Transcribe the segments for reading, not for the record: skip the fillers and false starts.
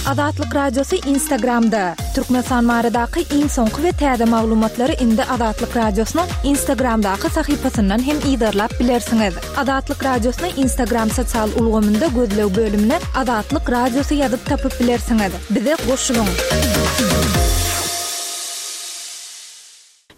Azatlyk Radiosy Instagramda! Türkmenistan baradaky iň soňky we täze maglumatlary indi Azatlyk Radiosynyň Instagramdaky sahypasyndan hem yzarlap bilersiňiz. Azatlyk Radiosyny Instagram sosial ulgamynda gözleg bölümine Azatlyk Radiosy ýazyp tapyp bilersiňiz. Bize goşulyň!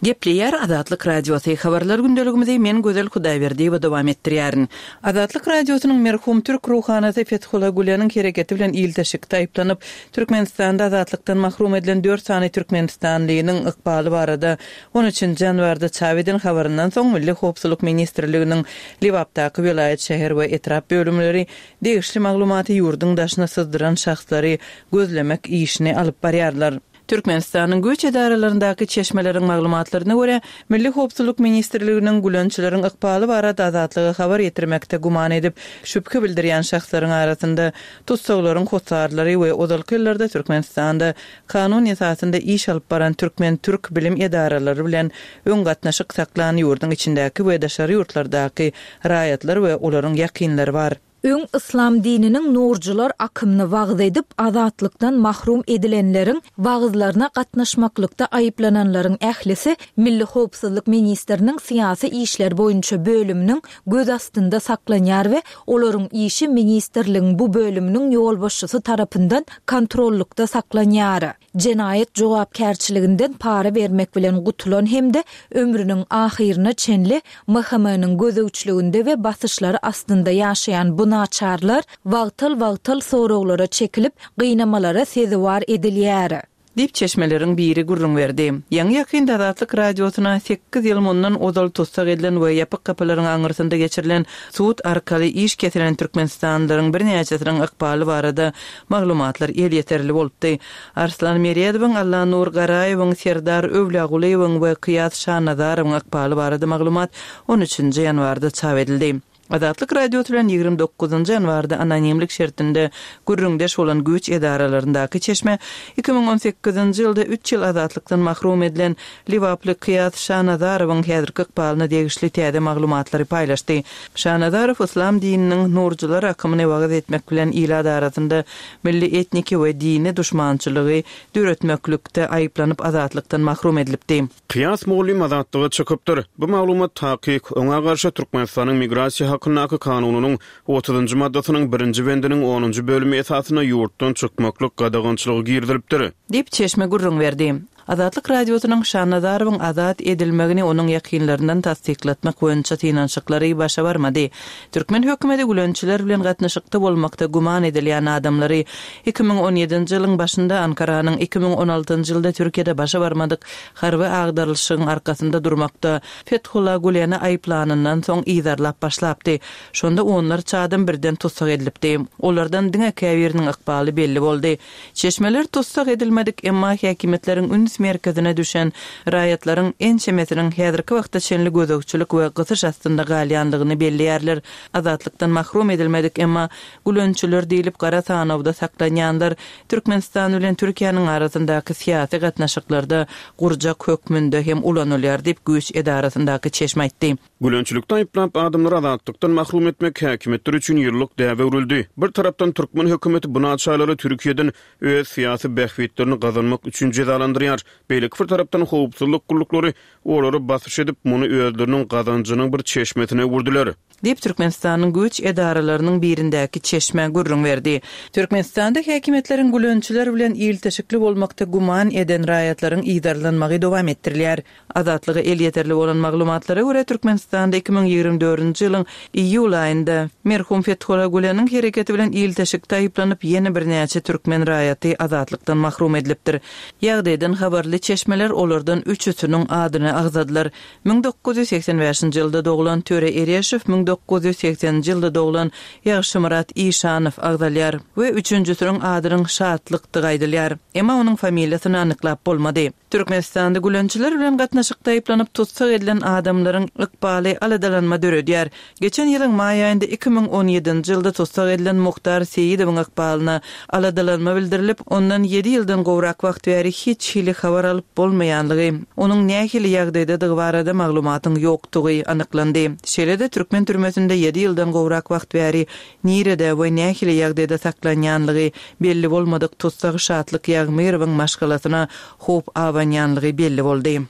Gepleýär Azatlyk Radiosy, Habarlar gündeligimizi men Gözel Hudaýberdiýewa dowam etdirýärin. Azatlyk Radiosynyň merhum türk ruhanysy Fethullah Güleniň hereketi bilen ilteşikde aýyplanyp, Türkmenistanda azatlykdan mahrum edilen dört sany türkmenistanlynyň ykbaly barada on üçünji ýanwarda çap eden habaryndan soň Milli howpsuzlyk ministrliginiň Lebapdaky welaýat, şäher we etrap bölümleri degişli maglumaty ýurduň daşyna syzdyran şahslary gözlemek işini alyp barýarlar. Türkmenistanyň güýç edaralaryndaky çeşmeleriň maglumatlaryna görä, Milli howpsuzlyk ministrliginiň gülençileriň ykbaly barada Azatlyga habar ýetirmekde güman edip, şübhe bildirýän şahslaryň arasynda tussaglaryň hossarlary we ozalky ýyllarda Türkmenistanda kanun esasynda iş alyp baran türkmen-türk bilim edaralary bilen öň gatnaşyk saklan ýurduň içindäki we daşary ýurtlardaky raýatlar we olaryň ýakynlary bar. Öň yslam dininiň nurjylar akymyny wagyz edip, azatlykdan mahrum edilenleriň wagyzlaryna gatnaşmaklykda aýyplananlaryň ählisi Milli howpsuzlyk ministriniň syýasy işler boýunça bölüminiň göz astynda saklanýar we olaryň işi ministrligiň bu bölüminiň ýolbaşçysy tarapyndan kontrollykda saklanýar. Jenaýat jogapkärçiliginden para bermek bilen gutulan hem-de ömrüniň ahyryna çenli MHM-niň gözegçiliginde we basyşlary astynda ýaşaýan bu naçarlar wagtal-wagtal soraglara çekilip, gynamalara sezewar edilýär. Diýip, çeşmeleriň biri gürrüň berdi. Ýaňy-ýakynda Azatlyk Radiosyna sekiz ýyl mundan ozal tussag edilen we ýapyk gapylaryň aňyrsynda geçirilen sud arkaly iş kesilen türkmenistanlylaryň birnäçesiniň ykbaly barada maglumatlar elýeterli bolupdy. Arslan Meredowyň, Allanur Garaýewiň, Serdar Öwlýagulyýewiň we Kyýas Şanazarowyň ykbaly barada maglumat on üçünji ýanwarda çap edildi. Azatlyk Radiosy bilen 29 ýanwarda anonimlik şertinde gürrüňdeş bolan güýç edaralaryndaky çeşme 2018-nji ýylda üç ýyl azatlykdan mahrum edilen lebaply Kyýas Şanazarowyň häzirki ykbalyna degişli täze maglumatlary paýlaşdy. Şanazarow yslam dininiň nurjylar akymyny wagyz etmek bilen ilat arasynda milli etniki we dini duşmançylygy döretmeklikde aýyplanyp azatlykdan mahrum edilipdi. Kyýas mugallym azatlyga çykypdyr. Bu maglumat takyk. Oňa garşy Türkmenistanyň Migrasiýa hakyndaky kanunynyň otuzynjy maddasynyň birinji bendiniň onunjy bölümi esasynda ýurtdan çykmaklyk gadagançylygy girizilipdir. Diýip, çeşme gürrüň berdi. Azatlyk Radiosynyň Şanazarowyň azat edilmegini onuň ýakynlaryndan tassyklatmak boýunça synanyşyklary başa barmady. Türkmen hökümeti gülençiler bilen gatnaşykda bolmakda güman edilýän adamlary 2017-nji ýylyň başynda Ankaranyň 2016-njy ýylda Türkiýede başa barmadyk harby agdarylyşygyň arkasynda durmakda Fethullah Güleni aýyplanyndan soň yzarlap başlapdy. Şonda onlarça adam birden tussag edilipdi. Olardan diňe käbiriniň ykbaly belli boldy. Çeşmeler tussag edilmedik, emma häkimiýetleriň üns merkezine düşen raýatlaryň ençemesiniň häzirki wagta çenli gözegçilik we gysyş astynda galýandygyny belleýärler. Azatlykdan mahrum edilmedik, emma gülençiler diýlip gara sanawda saklanýanlar Türkmenistan bilen Türkiýäniň arasyndaky syýasy gatnaşyklarda gurjak hökmünde hem ulanylýar diýip, güýç edarasyndaky çeşme aýtdy. Gülençilikde aýyplap, adamlary azatlykdan mahrum etmek häkimiýetler üçin ýyllyk däbe öwrüldi. Bir tarapdan türkmen hökümeti bu naçarlary Türkiýeden öz syýasy bähbitlerini gazanmak üçin jezalandyrýar. Beýleki bir tarapdan howpsuzlyk gulluklary olara basyş edip, muny özleriniň gazanjynyň bir çeşmesine öwürdiler. Diýip, Türkmenistanyň güýç edaralarynyň birindäki çeşme gürrüň berdi. Türkmenistanda häkimiýetleriň gülençiler bilen ilteşikli bolmakda güman eden raýatlaryň yzarlanmagy dowam etdirilýär. Azatlyga elýeterli bolan maglumatlara görä, Türkmenistanda 2024-nji ýylyň iýul aýynda merhum Fethullah Güleniň hereketi bilen ilteşikde aýyplanyp, ýene birnäçe türkmen raýaty azatlykdan mahrum edilipdir. Ýagdaýdan habarly çeşmeler olardan üçüsiniň adyny agzadylar. 1985-nji ýylda doglan Töre Ereşow, 1980-nji ýylda doglan Ýagşymyrat Işanow agzalýar we üçünjisiniň adynyň Şatlykdygy aýdylýar. Emma onuň familiýasyny anyklap bolmady. Türkmenistanda gülençiler bilen gatnaşykda aýyplanyp tussag edilen adamlaryň ykbaly aladalanma döredýär. Geçen ýylyň maý aýynda 2017-nji ýylda tussag edilen Muhtar Seýidowyň ykbalyna aladalanma bildirilip, ondan ýedi ýyldan gowrak wagt bäri hiç hili habar alyp bolmaýanlygy, onuň nähili ýagdaýdadygy barada maglumatyň ýokdugy anyklandy. Şeýle-de türkmen türmesinde ýedi ýyldan gowrak wagt bäri nirede we nähili ýagdaýda saklanýanlygy belli bolmadyk tussag Şatlyk Ýagmyrowyň maşgalasyna howp abanýanlygy belli boldy.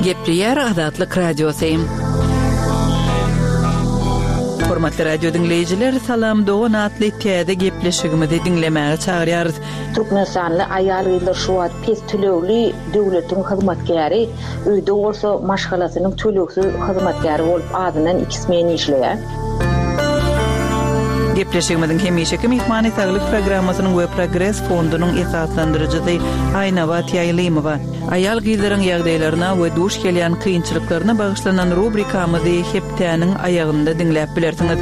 Gepleýär Azatlyk Radiosy. Hormatly radio diňleýjiler, Salam dogan atly täze gepleşigimizi diňlemäge çagyrýarys. Türkmenistanly aýal-gyzlar şu wagt pes tölegli döwletiň hyzmatkäri, öýde bolsa maşgalasynyň tölegsiz hyzmatkäri bolup azyndan iki smen işleýär. Gepleşigimiziň hemişeki myhmany Saglyk programmasynyň we Progres fondunyň esaslandyryjysy Aýnabat Ýaýlymowa. Aýal-gyzlaryň ýagdaýlaryna we duş gelýän kynçylyklaryna bagyşlanan rubrikamyzy hepdäniň aýagynda diňläp bilersiňiz.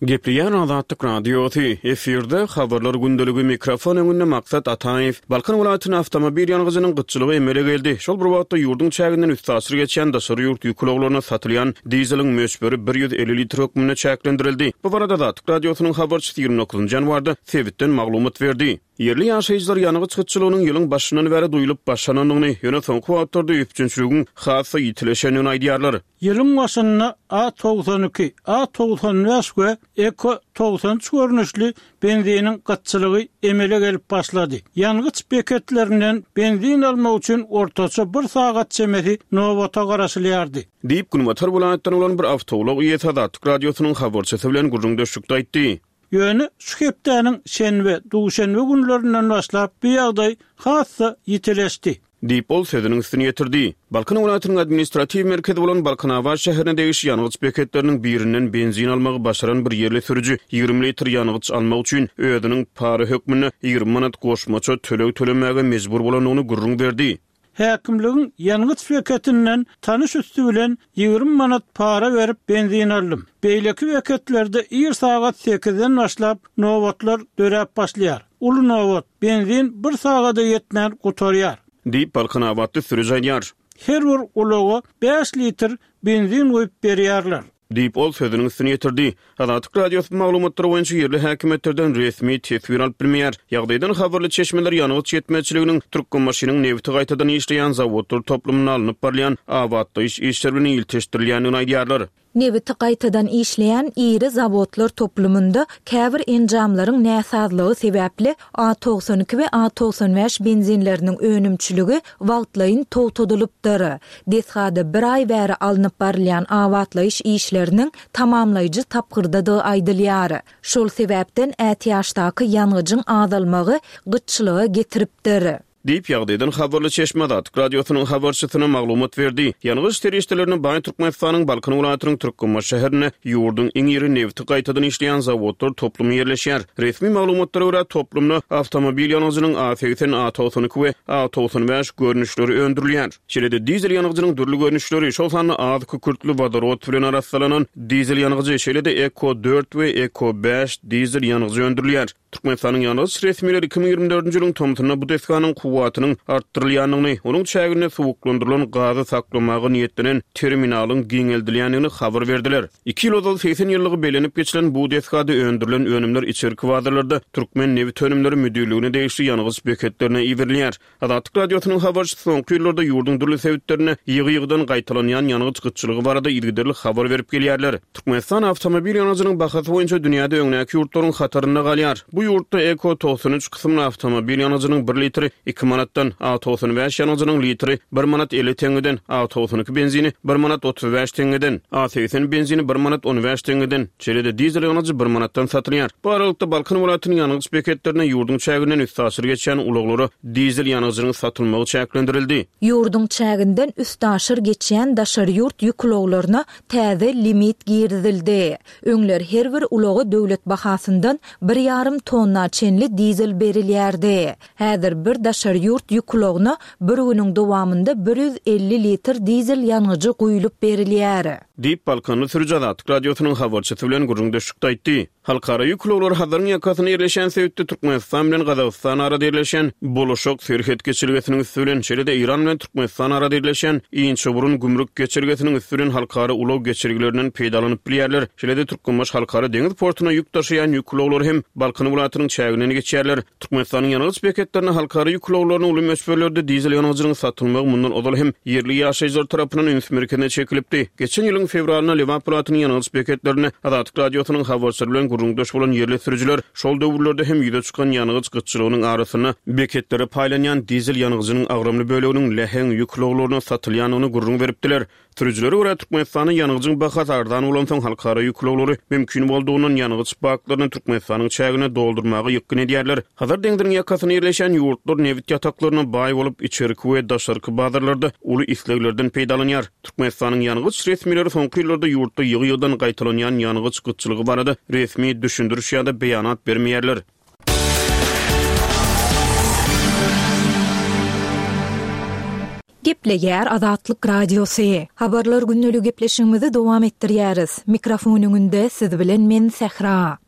Gepleýär Azatlyk Radiosy, efirde Habarlar gündeligi, mikrofon öňünde Maksat Ataýew. Balkan welaýatynda awtomobil ýangyjynyň gytçylygy emele geldi. Şol bir wagtda, ýurduň çäginden üstaşyr geçýän daşary ýurt ýük ulaglaryna satylýan dizeliň möçberi 150 litr hökmünde çäklendirildi. Bu barada Azatlyk Radiosynyň habarçysy 29 nji ýanwarda sebitden maglumat berdi. Ýerli ýaşaýjylar ýangyç gytçylygynyň ýylyň başyndan bäri duýlup başlanandygyny, ýöne soňky wagtlarda üpjünçiligiň has-da ýitileşendigini aýdýarlar. Ýylyň başynda A 92, A 95 we Eko 93 görnüşli benziniň gytçylygy emele gelip başlady. Ýangyç beketlerinden benzin almak üçin ortaça bir sagat çemesi nobata garaşylýardy. Diýip, günbatar welaýatdan bolan bir awtoulag eýesi Azatlyk Radiosynyň habarçysy bilen gürrüňdeşlikde aýtdy. Ýöne şu hepdäniň şenbe, duşenbe günlerinden başlap bu ýagdaý has-da ýitileşdi. Diýip, ol sözüniň üstüni ýetirdi. Balkan welaýatynyň administratiw merkezi bolan Balkanabat şäherine degişli ýangyç beketleriniň birinden benzin almagy başaran bir ýerli sürüji 20 litr ýangyç almak üçin özüniň para hökmünde 20 manat goşmaça töleg tölemäge mejbur bolandygyny gürrüň berdi. Häkimligiň ýangyç beketinden tanyş üsti bilen 20 manat para berip benzin aldym. Beýleki beketlerde ir sagat sekizden başlap nobatlar döräp başlaýar. Uly nobat, benzin bir sagada ýetmän gutarýar. Diýip, balkanabatly sürüji aýdýar. Her bir ulaga bäş litr benzin guýup berýärler. Diýip, ol sözüniň üstüni ýetirdi. Azatlyk Radiosy bu maglumatlar boýunça ýerli häkimiýetlerden resmi teswir alyp bilmeýär. Ýagdaýdan habarly çeşmeler ýangyç ýetmezçiliginiň Türkmenbaşynyň nebiti gaýtadan işleýän zawodlar toplumynda alnyp barylýan abatlaýyş işleri bilen ilteşdirilýändigini aýdýarlar. Nebiti gaýtadan işleýän iri zawodlar toplumynda käbir enjamlaryň näsazlygy sebäpli A 92 we A 95 benzinleriniň önümçiligi wagtlaýyn togtadylypdyr. Desgada bir aý bäri alnyp barylýan abatlaýyş işleriniň tamamlaýjy tapgyrdadygy aýdylýar. Şol sebäpden ätiýaçdaky ýangyjyň azalmagy gytçylyga getiripdir. Diýip, ýagdaýdan habarly çeşme Azatlyk Radiosynyň habarçysyna maglumat berdi. Ýangyç serişdelerine baý Türkmenistanyň Balkan welaýatynyň Türkmenbaşy şäherinde ýurduň iň iri nebiti gaýtadan işleýän zawodlar toplumy ýerleşýär. Resmi maglumatlara görä, toplumda awtomobil ýangyjynyň A 80, A 92 we A 95 görnüşleri öndürilýär. Şeýle-de dizel ýangyjynyň dürli görnüşleri, şol sanda az kükürtli wodorod bilen arassalanan dizel ýangyjy, şeýle-de Eko dört we Eko bäş dizel ýangyjy öndürilýär. Türkmenistanyň ýangyç resmileri 2024-nji ýylyň tomsunda bu desganyň kuwwatynyň artdyrylýandygyny, onuň çäginde suwuklandyrylan gazy saklamaga niýetlenen terminalyň giňeldilýändigini habar berdiler. Iki ýyl ozal 80 ýyllygy bellenip geçilen bu desgada öndürilen önümler içerki bazarlarda Türkmennebitönümleri müdirligine degişli ýangyç beketlerine iberilýär. Azatlyk Radiosynyň habarçysy soňky ýyllarda ýurduň dürli sebitlerinde ýygy-ýygydan gaýtalanýan ýangyç gytçylygy barada yzygiderli habar berip gelýärler. Türkmenistan awtomobil ýangyjynyň bahasy boýunça dünýäde öňdäki ýurtlaryň hatarynda galýar. Bu ýurtda Eko 93 kysymly awtomobil ýangyjynyň bir litri iki manatdan, A 95 ýangyjynyň litri bir manat 50 teňňeden, A 92 benzini bir manat 35 teňňeden, A 80 benzini bir manat 15 teňňeden, Şeýle-de dizel ýangyjy bir manatdan satylýar. Bu aralykda, Balkan welaýatynyň ýangyç beketlerinde ýurduň çäginden üstaşyr geçýän ulaglara dizel ýangyjynyň satylmagy çäklendirildi. Ýurduň çäginden üstaşyr geçýän daşary ýurt ýük ulaglaryna täze limit girizildi. Öňler her bir ulaga döwlet bahasyndan bir ýarym tonna çenli dizel berilýärdi. Häzir bir daşary. daşary ýurt ýük ulagyna bir günüň dowamynda 150 litr dizel ýangyjy guýlup berilýär. Diýip, balkanly sürüji Azatlyk Radiosynyň habarçysy bilen gürrüňdeşlikde aýtdy. Halkara ýük ulaglary Hazaryň ýakasynda ýerleşýän sebitde Türkmenistan bilen Gazagystan arada ýerleşýän Boluşak serhet geçelgesiniň üsti bilen, şeýle-de Eýran bilen Türkmenistan arada ýerleşýän Inçeburun gümrük geçelgesiniň üsti bilen halkara ulag geçelgelerinden peýdalanyp bilýärler. Şeýle-de Türkmenbaşy halkara deňiz portuna ýük daşaýan ýük ulaglary hem Balkan welaýatynyň çäginden geçýärler. Türkmenistanyň ýangyç beketlerinde halkara ýük ulaglaryna uly möçberlerde dizel ýangyjynyň satylmagy mundan ozal hem ýerli ýaşaýjylar tarapyndan üns merkezine çekilipdi. Geçen ýylyň fewralynda Lebap welaýatynyň ýangyç beketlerinde Azatlyk Radiosynyň habarçylary bilen gürrüňdeş bolan ýerli sürüjiler şol döwürlerde hem ýüze çykan ýangyç gytçylygynyň arasynda beketlere paýlanýan dizel ýangyjynyň agramly böleginiň läheň ýük ulaglaryna satylýandygyny gürrüň beripdiler. Sürüjilere görä, Türkmenistanda ýangyjyň bahasy arzan bolansoň, halkara ýük ulaglary mümkin boldugyndan ýangyç baklaryny Türkmenistanyň çägine doldurmaga ýykgyn edýärler. Hazar deňziniň ýakasynda ýerleşýän ýurtlar nebit ýataklaryna baý bolup, içerki we daşarky bazarlarda uly isleglerden peýdalanýar. Türkmenistanyň ýangyç resmileri soňky ýyllarda ýurtda ýygy-ýygydan gaýtalanýan ýangyç gytçylygy barada resmi düşündiriş ýa-da beýanat bermeýärler. Gepleýär Azatlyk Radiosy. Habarlar gündeligi gepleşigimizi dowam etdirýäris. Mikrofon öňünde siz bilen men Sähra.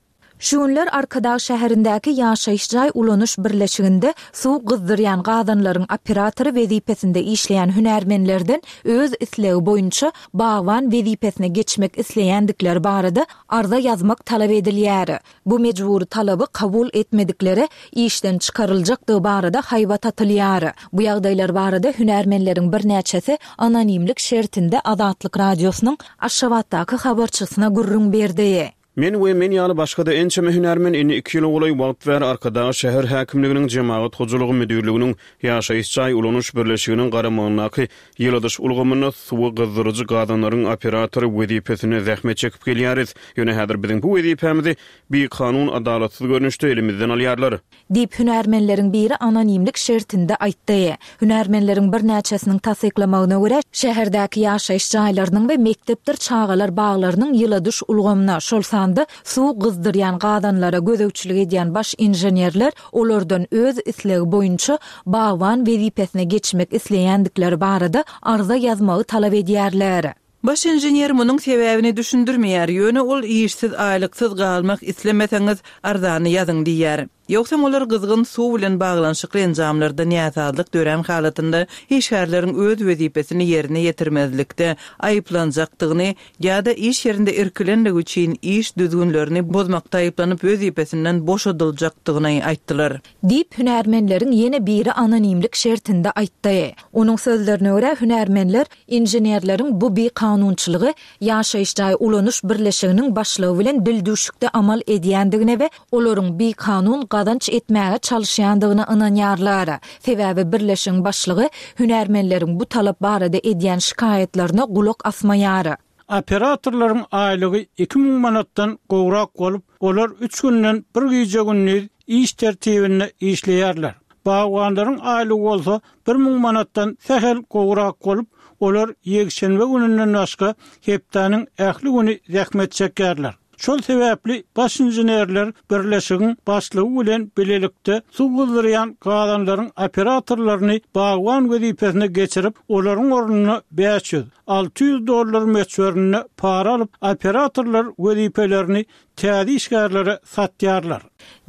Şu günler Arkadag şäherindäki ýaşaýyş jaý ulanyş birleşiginde suw gyzdyrýan gazanlaryň operatory wezipesinde işleýän hünärmenlerden öz islegi boýunça bagban wezipesine geçmek isleýändikleri barada arza ýazmak talap edilýär. Bu mejbury talaby kabul etmediklere işden çykaryljakdygy barada haýbat atylýar. Bu ýagdaýlar barada hünärmenleriň birnäçesi anonimlik şertinde Azatlyk Radiosynyň Aşgabatdaky habarçysyna gürrüň berdi. Men we men ýaly başga-da ençeme hünärmen indi iki ýyla golaý wagt bäri Arkadag şäher häkimliginiň Jemagat hojalygy müdirliginiň Ýaşaýyş jaý ulanyş birleşiginiň garamagyndaky Ýyladyş ulgamynda suwy gyzdyryjy gazanlaryň operatory wezipesinde zähmet çekip gelýäris. Ýöne häzir biziň bu wezipämizi bikanun, adalatsyz görnüşde elimizden alýarlar. Diýip, hünärmenleriň biri anonimlik şertinde aýtdy. Hünärmenleriň birnäçesiniň tassyklamagyna görä, şäherdäki ýaşaýyş jaýlarynyň we mekdepdir çagalar baglarynyň ýyladyş ulgamyna, şol sanda suw gyzdyrýan gazanlara gözegçilik edýän baş inženerler olardan öz islegi boýunça bagban wezipesine geçmek isleýändikleri barada arza ýazmagy talap edýärler. Baş inžener munuň sebäbini düşündirmeýär, ýöne ol işsiz, aýlyksyz galmak islemeseňiz, arzany ýazyň diýýär. Ýogsam olar gyzgyn suw bilen baglanyşykly enjamlarda näsazlyk dörän halatynda işgärleriň öz wezipesini ýerine ýetirmezlikde aýyplanjakdygyny ýa-da iş ýerinde irkilenligi üçin iş düzgünlerini bozmakda aýyplanyp wezipesinden boşadyljakdygyny aýtdylar. Diýip, hünärmenleriň ýene biri anonimlik şertinde aýtdy. Onuň sözlerine görä, hünärmenler inženerleriň bu bikanunçylygy ýaşaýyş jaý ulanyş birleşiginiň başlygy bilen dildüwşükde amal edýändigine we olaryň bikanun gazanç etmäge çalyşýandygyna ynanýarlar. Sebäbi birleşigiň başlygy hünärmenleriň bu talap barada edýän şikaýatlaryna gulak asmaýar. Operatorlaryň aýlygy 2000 manatdan gowrak bolup, olar üç günden bir gije-gündiz iş tertibinde işleýärler. Bagbanlaryň aýlygy bolsa 1000 manatdan sähel gowrak bolup, olar ýekşenbe gününden başga hepdäniň ähli güni zähmet çekýärler. Şol sebäpli baş inženerler birleşigiň başlygy bilen bilelikde suw gyzdyrýan gazanlaryň operatorlaryny bagban wezipesine geçirip, olaryň ornuna 500, 600 dollar möçberinde para alyp, operatorlar wezipelerini täze işgärlere satýarlar.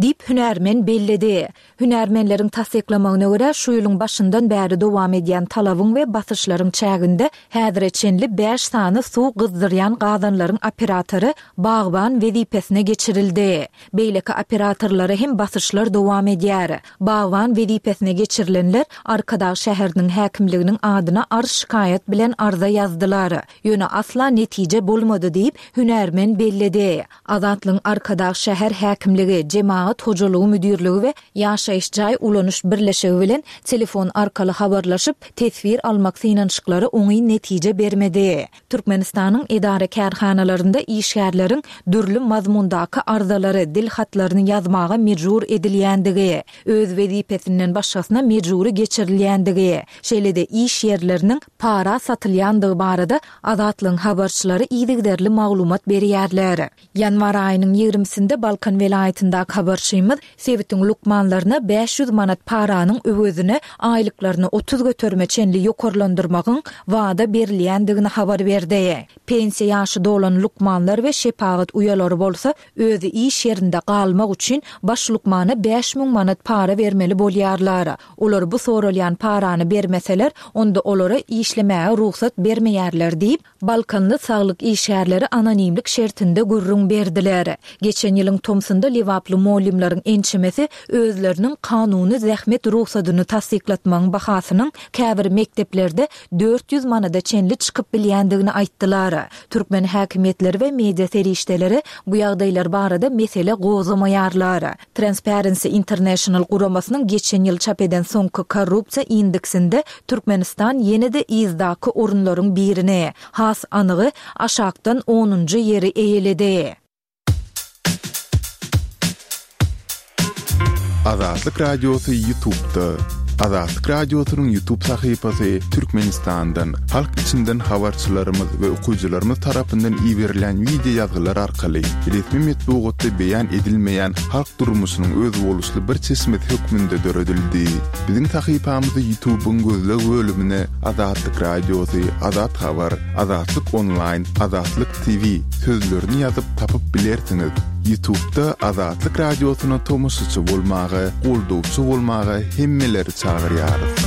Diýip, hünärmen belledi. Hünärmenleriň tassyklamagyna görä, şu ýylyň başyndan bäri dowam edýän talabyň we basyşlaryň çäginde häzire çenli bäş sany suw gyzdyrýan gazanlaryň operatory bagban wezipesine geçirildi. Beýleki operatorlara hem basyşlar dowam edýär. Bagban wezipesine geçirilenler Arkadag şäheriniň häkimliginiň adyna arz-şikaýat bilen arza ýazdylar. Ýöne asla netije bolmady diýip, hünärmen belledi. Azatlygyň Arkadag şäher häkimligi, Jemagat hojalygy müdirligi we Ýaşaýyş jaý ulanyş birleşigi bilen telefon arkaly habarlaşyp, teswir almak synanyşyklary oňyn netije bermedi. Türkmenistanyň edara-kärhanalarynda işgärleriň dürli mazmundaky arzalary, dil hatlaryny ýazmaga mejbur edilýändigi, öz wezipesinden başgasyna mejbury geçirilýändigi, şeýle-de iş ýerleriniň para satylýandygy barada Azatlygyň habarçylary yzygiderli maglumat berýärler. Ýanwar aýynyň. aýynyň ýigrimisinde Balkan welaýatyndaky habarçymyz sebitiň lukmanlaryna 500 manat paranyň öwezine aýlyklaryny 30 göterime çenli ýokarlandyrmagyň wada berilýändigini habar berdi. Pensiýa ýaşy dolan lukmanlar we şepagat uýalary bolsa özi iş ýerinde galmak üçin baş lukmana 5000 manat para bermeli bolýarlar. Olar bu soralýan parany bermeseler, onda olara işlemäge rugsat bermeýärler diýip, Balkanly saglyk işgärleri anonimlik şertinde gürrüň berdiler. Geçen ýylyň tomsunda lebaply mugallymlaryň ençemesi özleriniň kanuny zähmet rugsadyny tassyklatmagyň bahasynyň käbir mekdeplerde 400 manada çenli çykyp bilýändigini aýtdylar. Türkmen häkimiýetleri we media serişdeleri bu ýagdaýlar barada mesele gozgamaýarlar. Transparency International guramasynyň geçen ýyl çap eden soňky korrupsiýa indeksinde Türkmenistan ýene-de yzdaky orunlaryň birini, has anygy, aşakdan onunjy ýeri eýeledi. Azatlyk Radiosy Ýutubda. Azatlyk Radiosynyň Ýutub sahypasy Türkmenistandan, halk içinden habarçylarymyz we okyjylarymyz tarapyndan iberilen wideo ýazgylar arkaly resmi metbugatda beýan edilmeýän halk durmuşynyň özboluşly bir çeşmesi hökmünde döredildi. Biziň sahypamyzy Ýutubyň gözleg bölümine Azatlyk Radiosy, Azat Habar, Azatlyk Onlaýn, Azatlyk TV sözlerini ýazyp tapyp bilersiňiz. Ýutubda Azatlyk Radiosyna tomaşaçy bolmaga, goldawçy bolmaga hemmeleri çagyrýarys.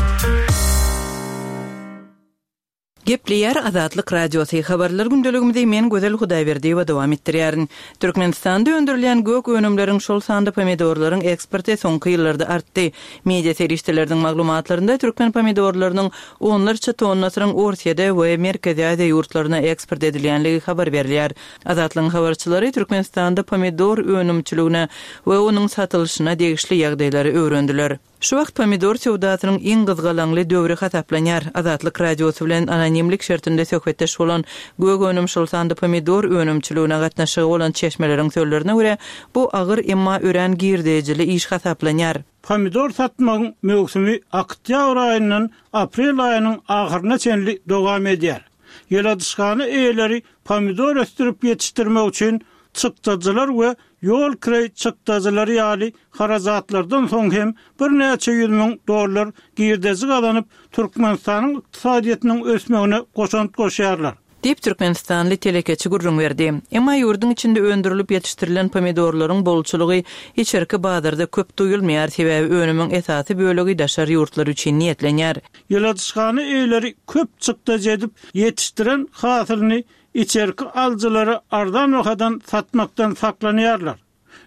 Gepleýär Azatlyk Radiosy, Habarlar gündeligimizi men Gözel Hudaýberdiýewa dowam etdirýärin. Türkmenistanda öndürilýän gök önümleriň, şol sanda pomidorlaryň eksporty soňky ýyllarda artdy. Media serişdeleriniň maglumatlarynda türkmen pomidorlarynyň onlarça tonnasynyň Orsýede we Merkezi Aziýa ýurtlaryna eksport edilýänligi habar berilýär. Azatlygyň habarçylary Türkmenistanda pomidor önümçiligine we onuň satylyşyna degişli ýagdaýlary öwrendiler. Şu wagt pomidor söwdasynyň iň gyzgalaňly döwri hasaplanýar. Azatlyk Radiosy bilen anonimlik şertinde söhbetdeş bolan gök önüm, şol sanda pomidor önümçiligine gatnaşygy bolan çeşmeleriň sözlerine görä, bu agyr, emma örän girdejili iş hasaplanýar. Pomidor satmagyň möwsümi oktýabr aýyndan aprel aýynyň ahyryna çenli dowam edýär. Ýyladyşhana eýeleri pomidor ösdürip ýetişdirmek üçin çykdajylar we ýol kireý çykdajylary ýaly harajatlardan soň hem birnäçe ýüz müň dollar girdeji gazanyp, Türkmenistanyň ykdysadyýetiniň ösmegine goşant goşýarlar. Diýip, türkmenistanly telekeçi gürrüň berdi. Emma ýurduň içinde öndürilip ýetişdirilen pomidorlaryň bolçulygy içerki bazarda köp duýulmaýar, sebäbi önümiň esasy bölegi daşary ýurtlar üçin niýetlenýär. Ýyladyşhana eýeleri köp çykdajy edip ýetişdiren hasylyny içerki alyjylara arzan bahadan satmakdan saklanýarlar.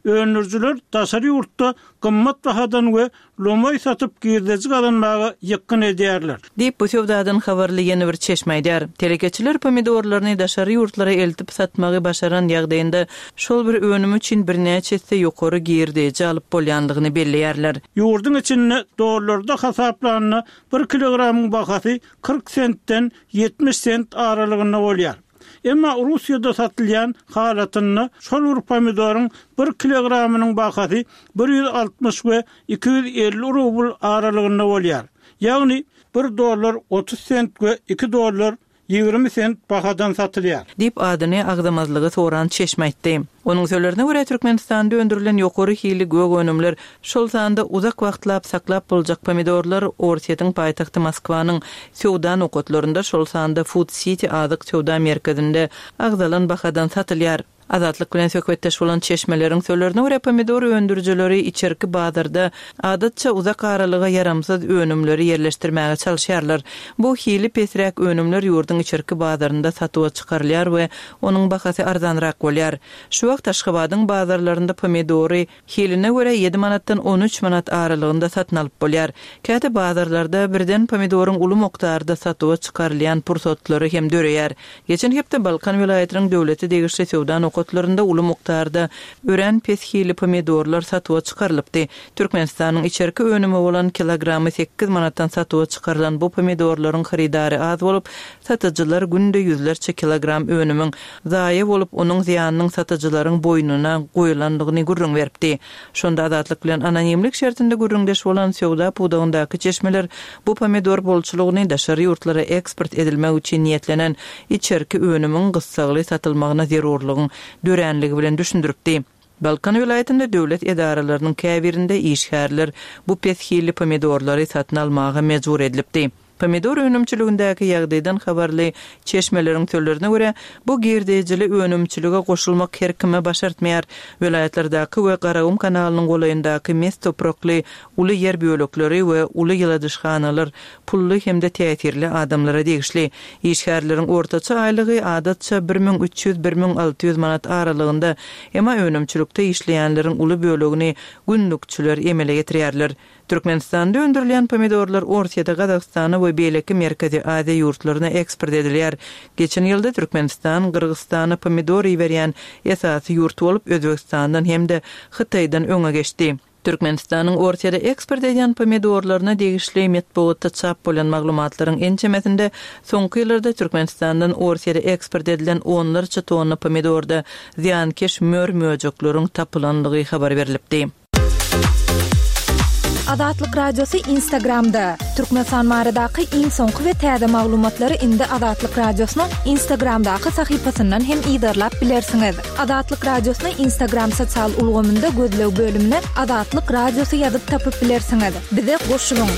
Öndürijiler daşary ýurtda gymmat bahadan we lomaý satyp girdeji gazanmaga ýykgyn edýärler. Diýip, bu söwdadan habarly ýene bir çeşme aýdýar. Telekeçiler pomidorlaryny daşary ýurtlara eltip satmagy başaran ýagdaýynda şol bir önüm üçin birnäçe esse ýokary girdeji alyp bolýandygyny belleýärler. Ýurduň içinde dollarda hasaplanda bir kilogramyň bahasy 40 sentden 70 sent aralygynda bolýar. Emma Russiýada satylýan halatynda şol bir pomidoryň bir kilogramynyň bahasy 160 we 250 rubl aralygynda bolýar. Ýagny bir dollar 30 sent we iki dollar 20 sent bahadan satylýar. Diýip, adyny agzamazlygy soran çeşme aýtdy. Onuň sözlerine görä, Türkmenistanda öndürilen ýokary hilli gök önümler, şol sanda uzak wagtlap saklap boljak pomidorlar Orsýetiň paýtagty Moskwanyň söwda nokatlarynda, şol sanda Food City azyk söwda merkezinde agzalan bahadan satylýar. Azatlyk bilen söhbetdeş bolan çeşmeleriň sözlerine görä, pomidor öndürijileri içerki bazarda adatça uzak aralyga ýaramsyz önümleri ýerleşdirmäge çalyşýarlar. Bu hili pesräk önümler ýurduň içerki bazarynda satuwa çykarylýar we Onuň bahasy arzanrak bolýar. Şu wagt Aşgabadyň bazarlarynda pomidory hiline görä ýedi manatdan 13 manat aralygynda satyn alyp bolýar. Käte bazarlarda birden pomidoryň uly mukdarda satuwa çykarylýan pursatlary hem döreýär. Geçen hepde Balkan welaýatynyň döwlete degişli söwda nokatlarynda uly mukdarda örän pes hilli pomidorlar satuwa çykarylypdy. Türkmenistanyň içerki önümi bolan kilogramy sekiz manatdan satuwa çykarylan bu pomidorlaryň hyrydary az bolup, Satyjylar günde ýüzlerçe kilogram önümiň zaýa bolup, onuň zyýanynyň satyjylaryň boýnuna goýulandygyny gürrüň beripdi. Şonda Azatlyk bilen anonimlik şertinde gürrüňdeş bolan söwda pudagyndaky çeşmeler bu pomidor bolçulygyny daşary ýurtlara eksport edilmek üçin niýetlenen içerki önümiň gyssagly satylmagyna zerurlygyň. döränligi bilen düşündiripdi. Balkan welaýatynda döwlet edaralarynyň käbirinde işgärler bu pes hilli pomidorlary satyn almaga mejbur edilipdi. Pomidor önümçiligindäki ýagdaýdan habarly çeşmeleriň sözlerine görä, bu girdejili önümçilige goşulmak her kime başartmaýar. Welaýatlardaky we Garagum kanalynyň golaýyndaky mes toprakly uly ýer bölekleri we uly ýyladyşhanalar pully hem-de täsirli adamlara degişli. Işgärleriň ortaça aýlygy adatça 1300, 1600 manat aralygynda, emma önümçilikde işleýänleriň uly bölegini günlükçiler emele getirýärler. Türkmenistanda öndürilýän pomidorlar Orsýete, Gazagystana we beýleki Merkezi Aziýa ýurtlaryna eksport edilýär. Geçen ýylda Türkmenistan Gyrgyzystana pomidor iberýän esasy ýurt bolup, Özbegistandan hem-de Hytaýdan öňe geçdi. Türkmenistanyň Orsýete eksport edýän pomidorlaryna degişli metbugatda çap bolan maglumatlaryň ençemesinde soňky ýyllarda Türkmenistandan Orsýete eksport edilen onlarça tonna pomidorda zyýankeş mör-möjekleriň tapylanlygy habar berlipdi. Azatlyk Radiosy Instagramda, Türkmenistan baradaky iň soňky we täze maglumatlary indi Azatlyk Radiosynyň Instagramdaky sahypasyndan hem yzarlap bilersiňiz. Azatlyk Radiosyny Instagram sosial ulgamynda gözleg bölümine Azatlyk Radiosy ýazyp tapyp bilersiňiz. Bize goşulyň!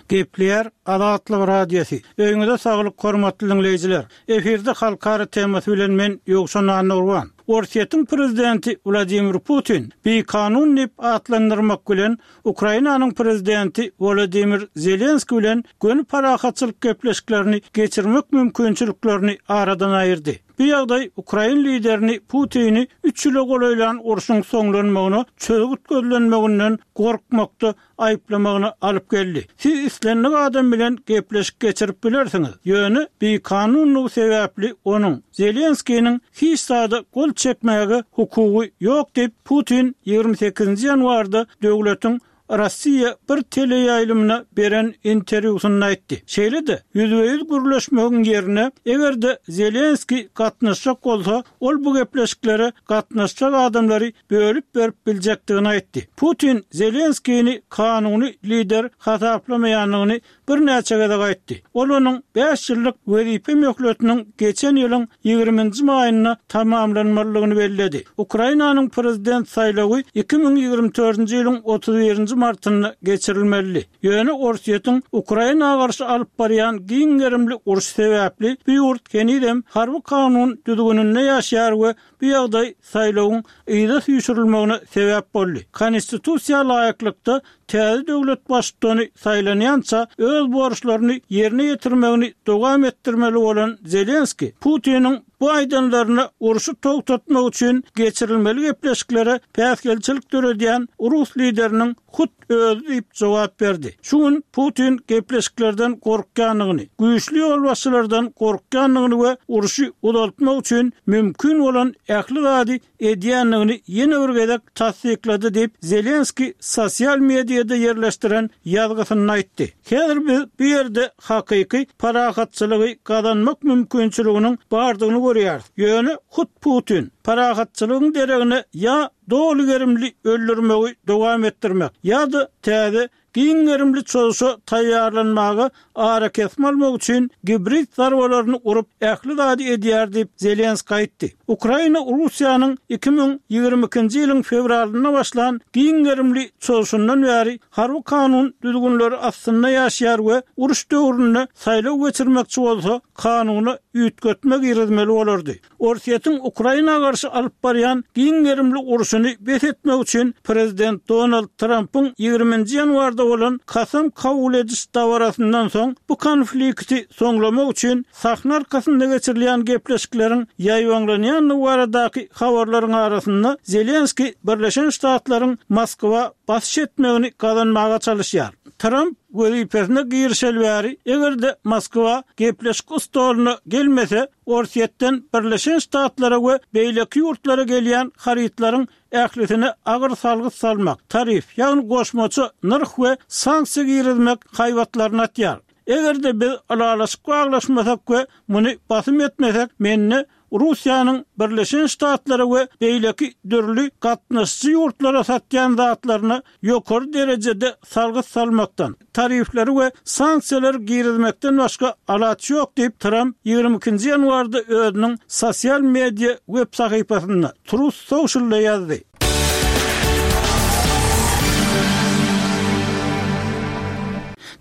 Gepleýär Azatlyk Radiosy. Öýüňize saglyk hormatly diňleýjiler. Efirde halkara temasy bilen men Ýowşan Annagurban. Orsýetiň prezidenti Wladimir Putin bikanun diýip atlandyrmak bilen Ukrainanyň prezidenti Wolodymyr Zelenskiý bilen göni parahatçylyk gepleşiklerini geçirmek mümkinçiliklerini aradan aýyrdy. Bu ýagdaý ukrain liderini Putini üç ýyla golaýlan urşuň soňlanmagyna çözgüt gözlenmeginden gorkmakda aýyplamagyna alyp geldi. Siz islendik adam bilen gepleşik geçirip bilersiňiz, ýöne bikanunlygy sebäpli onuň, Zelenskiniň, hiç zada gol çekmäge hukugy ýok diýip, Putin 28-nji ýanwarda döwletiň Rossiýa bir teleýaýlymyna beren interwýusynda aýtdy. Şeýle-de, ýüzbe-ýüz gürleşmegiň ýerine, eger-de Zelenskiý gatnaşjak bolsa, ol bu gepleşiklere gatnaşjak adamlary bölüp berip biljekdigini aýtdy. Putin Zelenskini kanuny lider hasaplamaýandygyny birnäçe gezek aýtdy. Ol onuň bäş ýyllyk wezipe möhletiniň geçen ýylyň ýigriminji maýynda tamamlanmalydygyny belledi. Ukrainanyň prezident saýlawy 2024-nji ýylyň 31-nji martynda geçirilmelidi. Ýöne Orsýetiň Ukraina garşy alyp barýan giň gerimli urşy sebäpli bu ýurt henizem harby kanun düzgüninde ýaşaýar we Bu ýagdaý saýlawyň yza süýşürilmegine sebäp boldy. Konstitusiýa laýyklykda, täze döwlet baştutany saýlanýança öz borçlaryny ýerine ýetirmegini dowam etdirmeli bolan Zelenskiý, Putiniň bu aýdanlaryna urşy togtatmak üçin geçirilmeli gepleşiklere päsgelçilik döredýän rus lideriniň hut özi diýip jogap berdi. Şu gün Putin gepleşiklerden gorkýandygyny, güýçli ýolbaşçylardan gorkýandygyny we urşy uzaltmak üçin mümkin bolan ähli zady edýändigini ýene bir gezek tassyklady diýip, Zelenskiý sosial mediada ýerleşdiren ýazgysynda aýtdy. Häzir biz bu ýerde hakyky parahatçylygy gazanmak mümkinçiliginiň bardygyny görýäris. Ýöne hut Putin parahatçylygyň deregine ýa doly gerimli öldürmegi dowam etdirmek ýa-da täze giň gerimli çozuşa taýýarlanmaga arakesme almak üçin gibrid zarbalaryny urup ähli zady edýär diýip, Zelenskiý aýtdy. Ukraina Russiýanyň 2022-nji ýylyň fewralynda başlan giň gerimli çozuşyndan bäri harby kanun düzgünleri astynda ýaşaýar we uruş döwründe saýlaw geçirmekçi bolsa, kanuna üýtgetme girizmeli bolardy. Orsýetiň Ukraina garşy alyp barýan giň gerimli urşuny bes etmek üçin prezident Donald Trampyň ýigriminji ýanwarda bolan kasam kabul ediş dabarasyndan soň bu konflikti soňlamak üçin sahna arkasynda geçirilýän gepleşikleriň ýaýbaňlanýandygy baradaky habarlaryň arasynda Zelenskiý Birleşen Ştatlaryň Moskwa basyş etmegini gazanmaga çalyşýar. Tramp wezipesine girişeli bäri eger-de Moskwa gepleşik stoluna gelmese, Orsýetden Birleşen Ştatlara we beýleki ýurtlara gelýän harytlaryň ählisine agyr salgyt salmak, tarif, ýagny goşmaça nyrh we sanksiýa girizmek haýbatlaryny atýar. Eger-de biz ylalaşyk baglaşmasak we muny basym etmesek, mende Russiýanyň Birleşen Ştatlara we beýleki dürli gatnaşyjy ýurtlara satýan zatlaryna ýokary derejede salgyt salmakdan, tarifleri we sanksiýalary girizmekden başga alaç ýok diýip, Tramp 22 nji ýanwarda özüniň sosial media web sahypasynda, Truth Social-da ýazdy.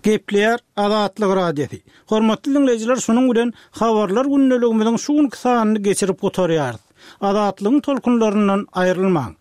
Gepleýär Azatlyk Radiosy. Hormatly diňleýjiler, şunuň bilen Habarlar gündeligimiziň şu günki sanyny geçirip gutarýarys. Azatlygyň tolkunlaryndan aýrylmaň!